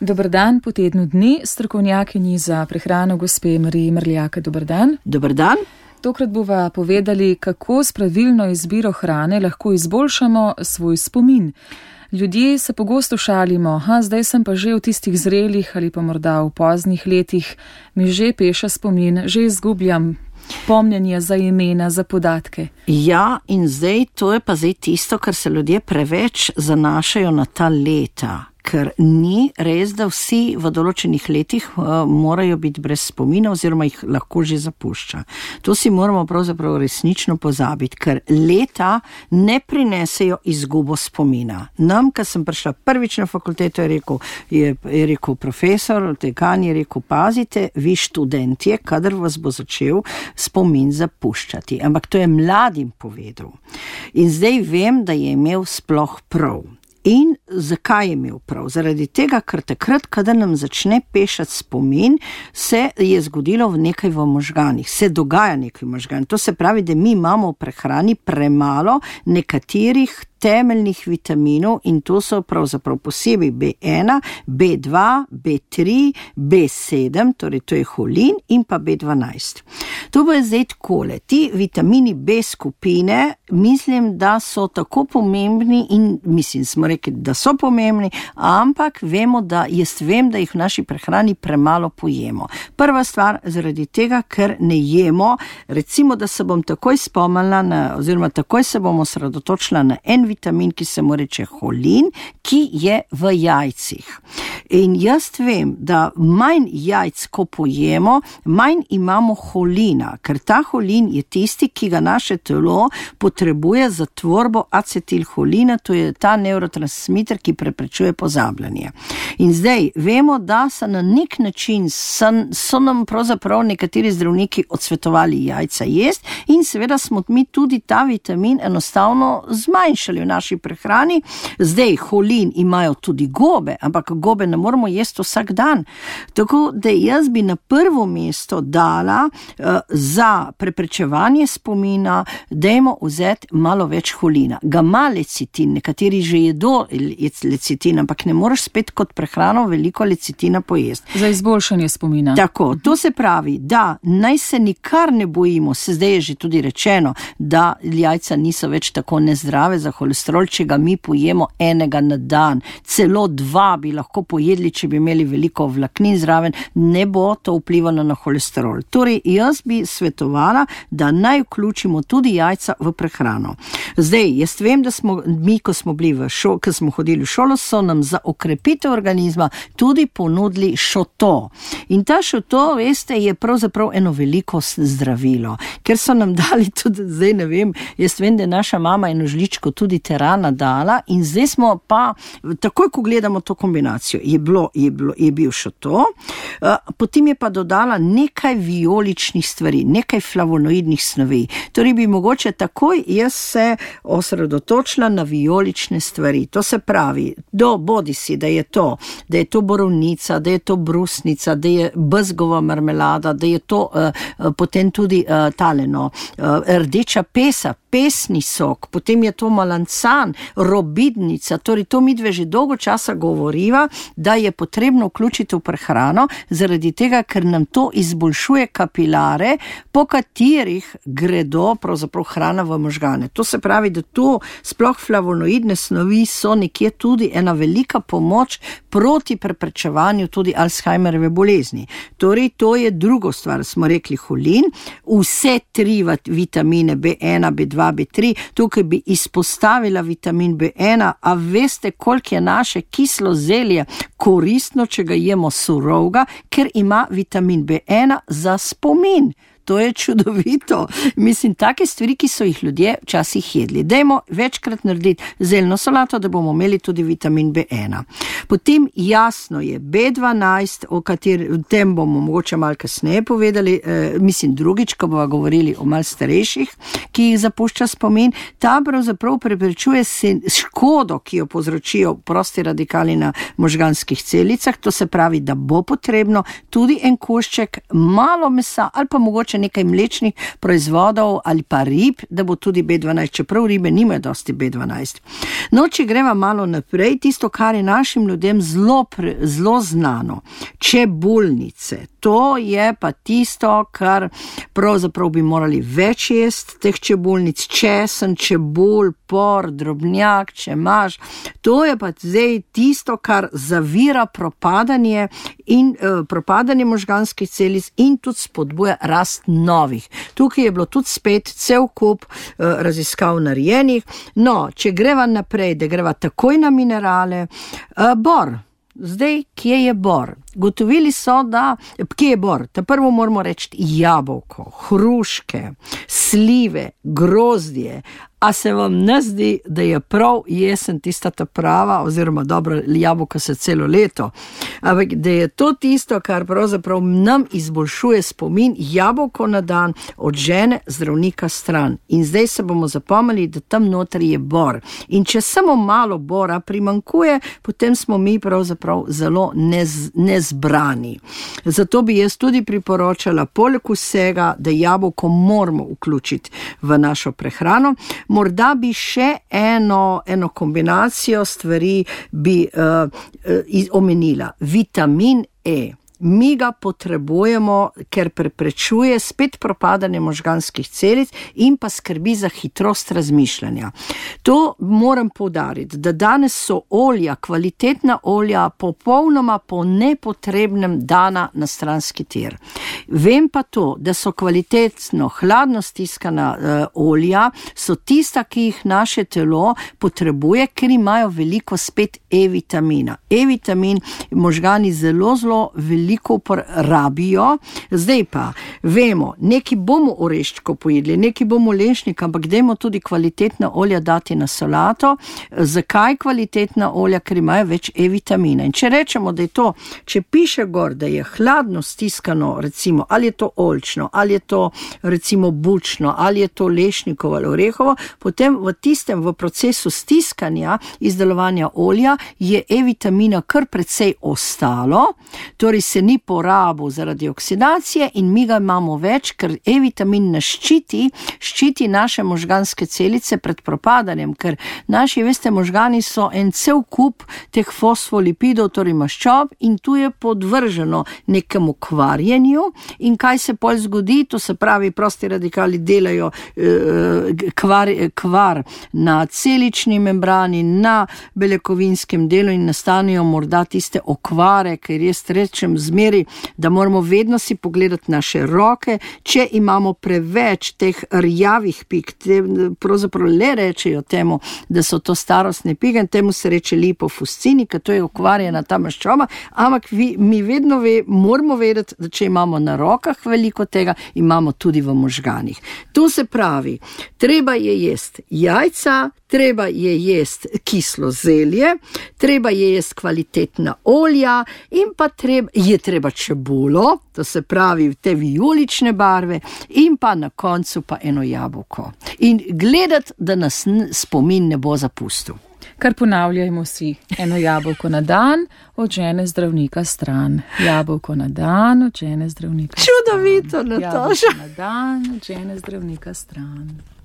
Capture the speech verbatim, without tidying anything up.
Dober dan po tednu dni, strokovnjakinji za prehrano gospe Mariji Mrljak. Dober dan. Dober dan. Tokrat bova povedali, kako s pravilno izbiro hrane lahko izboljšamo svoj spomin. Ljudje se pogosto šalimo, ha, zdaj sem pa že v tistih zrelih ali pa morda v poznih letih, mi že peša spomin, že izgubljam pomnjenje za imena, za podatke. Ja, in zdaj to je pa zdaj tisto, kar se ljudje preveč zanašajo na ta leta. Ker ni res, da vsi v določenih letih uh, morajo biti brez spomina oziroma jih lahko že zapušča. To si moramo pravzaprav resnično pozabiti, ker leta ne prinesejo izgubo spomina. Nam, ko sem prišla prvič na fakulteto, je rekel, je, je rekel profesor, dekan je rekel, pazite, vi študentje, kadar vas bo začel spomin zapuščati. Ampak to je mladim povedal. In zdaj vem, da je imel sploh prav. In zakaj je imel prav? Zaradi tega, ker takrat, kadar nam začne pešati spomin, se je zgodilo v nekaj v možganih, se dogaja nekaj v možganih. To se pravi, da mi imamo v prehrani premalo nekaterih temeljnih vitaminov in to so pravzaprav posebej B ena, B dva, B tri, B sedem, torej to je holin in pa B dvanajst. To bo je zdaj takole. Ti vitamini B skupine, mislim, da so tako pomembni in mislim, smo rekli, da so pomembni, ampak vemo, da jaz vem, da jih v naši prehrani premalo pojemo. Prva stvar, zaradi tega, ker ne jemo, recimo, da se bom takoj spomnila na, oziroma takoj se bom osredotočila na en vitamin, ki se mu reče holin, ki je v jajcih. In jaz vem, da manj jajc, ko pojemo, manj imamo holina, ker ta holin je tisti, ki ga naše telo potrebuje za tvorbo acetilholina, to je ta neurotransmiter, ki preprečuje pozabljanje. In zdaj vemo, da so na nek način so, so nam pravzaprav nekateri zdravniki odsvetovali jajca jesti in seveda smo mi tudi ta vitamin enostavno zmanjšali v naši prehrani. Zdaj, holin imajo tudi gobe, ampak gobe ne moramo jesti vsak dan. Tako da jaz bi na prvo mesto dala uh, za preprečevanje spomina, dajmo vzeti malo več holina. Ga ima lecitin, nekateri že jedo lecitin, ampak ne moreš spet kot prehrano veliko lecitina pojesti. Za izboljšanje spomina. Tako, to se pravi, da naj se nikar ne bojimo, se zdaj je že tudi rečeno, da jajca niso več tako nezdrave za holesterol, če ga mi pojemo enega na dan. Celo dva bi lahko pojedli, če bi imeli veliko vlaknin zraven, ne bo to vplivalo na holesterol. Torej, jaz bi svetovala, da naj vključimo tudi jajca v prehrano. Zdaj, jaz vem, da smo mi, ko smo bili v šolo, ko smo hodili v šolo, so nam za okrepitev organizma tudi ponudili šoto. In ta šoto, veste, je pravzaprav eno veliko zdravilo, ker so nam dali tudi, zdaj ne vem, jaz vem, da je naša mama eno žličko tudi terana dala in zdaj smo pa, takoj ko gledamo to kombinacijo, je, bilo, je, bilo, je bil šoto, potem je pa dodala nekaj vijoličnih stvari, nekaj flavonoidnih snovi. Torej bi mogoče takoj jaz se osredotočila na vijolične stvari. To se pravi, do bodi si, da je to, da je to borovnica, da je to brusnica, da je bezgova marmelada, da je to uh, potem tudi uh, taleno, uh, rdeča pesa, pesni sok, potem je to malancan, robidnica, torej to mi dve že dolgo časa govoriva, da je potrebno vključiti v prehrano, zaradi tega, ker nam to izboljšuje kapilare, po katerih gredo pravzaprav hrana v možgane. To se pravi, da to sploh flavonoidne snovi so nekje tudi ena velika pomoč proti preprečevanju tudi Alzheimerjeve bolezni. Torej, to je drugo stvar, smo rekli holin, vse tri vitamine B ena, B dva, B tri, tukaj bi izpostavila vitamin B ena, a veste, koliko je naše kislo zelje koristno, če ga jemo surovega, ker ima vitamin B ena za spomin. To je čudovito. Mislim, take stvari, ki so jih ljudje včasih jedli. Dajmo večkrat narediti zeljno solato, da bomo imeli tudi vitamin B ena. Potem jasno je B dvanajst, o katerem tem bomo mogoče malo kasneje povedali, eh, mislim drugič, ko bomo govorili o malo starejših, ki jih zapušča spomin. Ta pravzaprav preprečuje škodo, ki jo povzročijo prosti radikali na možganskih celicah. To se pravi, da bo potrebno tudi en košček malo mesa ali pa mogoče mogoče nekaj mlečnih proizvodov ali pa rib, da bo tudi B dvanajst, čeprav ribe nimajo dosti B dvanajst. No, če greva malo naprej, tisto, kar je našim ljudem zelo, zelo znano, čebulnice. To je pa tisto, kar pravzaprav bi morali več jesti teh čebulnic, česen, čebul, por, drobnjak, čemaž. To je pa zdaj tisto, kar zavira propadanje in eh, propadanje možganskih celic in tudi spodbuja rast novih. Tukaj je bilo tudi spet cel kup eh, raziskav narejenih. No, če greva naprej, da greva takoj na minerale, eh, bor. Zdaj, kje je bor? Gotovili so, da, kje je bor? Ta prvo moramo reči jabolko, hruške, slive, grozdje. A se vam ne zdi, da je prav jesen tista ta prava, oziroma dobro, jabolka se celo leto, ampak da je to tisto, kar pravzaprav nam izboljšuje spomin, jabolko na dan od žene zdravnika stran. In zdaj se bomo zapomnili, da tam notri je bor. In če samo malo bora primankuje, potem smo mi pravzaprav zelo nez, nezbrani. Zato bi jaz tudi priporočala, poleg vsega, da jabolko moramo vključiti v našo prehrano. Morda bi še eno, eno kombinacijo stvari bi uh, uh, omenila. Vitamin E. Mi ga potrebujemo, ker preprečuje spet propadanje možganskih celic in pa skrbi za hitrost razmišljanja. To moram poudariti, da danes so olja, kvalitetna olja, popolnoma po nepotrebnem dana na stranski tir. Vem pa to, da so kvalitetno, hladno stiskana uh, olja, so tista, ki jih naše telo potrebuje, ker imajo veliko spet E-vitamina. E-vitamin možgani zelo, zelo veliko veliko uporabijo. Zdaj pa vemo, neki bomo oreščko pojedli, neki bomo lešnik, ampak dajmo tudi kvalitetna olja dati na solato. Zakaj kvalitetna olja? Ker imajo več E-vitamina. In če rečemo, da je to, če piše gor, da je hladno stiskano, recimo, ali je to oljčno, ali je to recimo bučno, ali je to lešnikovo ali orehovo, potem v tistem, v procesu stiskanja, izdelovanja olja, je E-vitamina kar precej ostalo, torej se ni porabil zaradi oksidacije in mi ga imamo več, ker E-vitamin nas ščiti, ščiti naše možganske celice pred propadanjem, ker naši, veste, možgani so en cel kup teh fosfolipidov, torej maščob, in tu je podvrženo nekemu kvarjenju. In kaj se pol zgodi? To se pravi, prosti radikali delajo eh, kvar, kvar na celični membrani, na beljakovinskem delu in nastanejo morda tiste okvare, ker jaz rečem zmeri, da moramo vedno si pogledati naše roke, če imamo preveč teh rjavih pik, te pravzaprav le rečejo temu, da so to starostne pike, temu se reče lipofuscini, ker to je okvarjena ta maščoba, ampak vi, mi vedno ve, moramo vedeti, da če imamo na rokah veliko tega, imamo tudi v možganih. To se pravi, treba je jesti jajca, treba je jesti kislo zelje, treba je jesti kvalitetna olja in pa treba, je treba čebulo, to se pravi te vijolične barve in pa na koncu pa eno jabolko. In gledati, da nas spomin ne bo zapustil. Kar ponavljajmo si, eno jabolko na dan, od žene zdravnika stran. Jabolko na dan, od žene zdravnika stran. Čudovito, Nataša. Jabolko na dan, od žene zdravnika stran.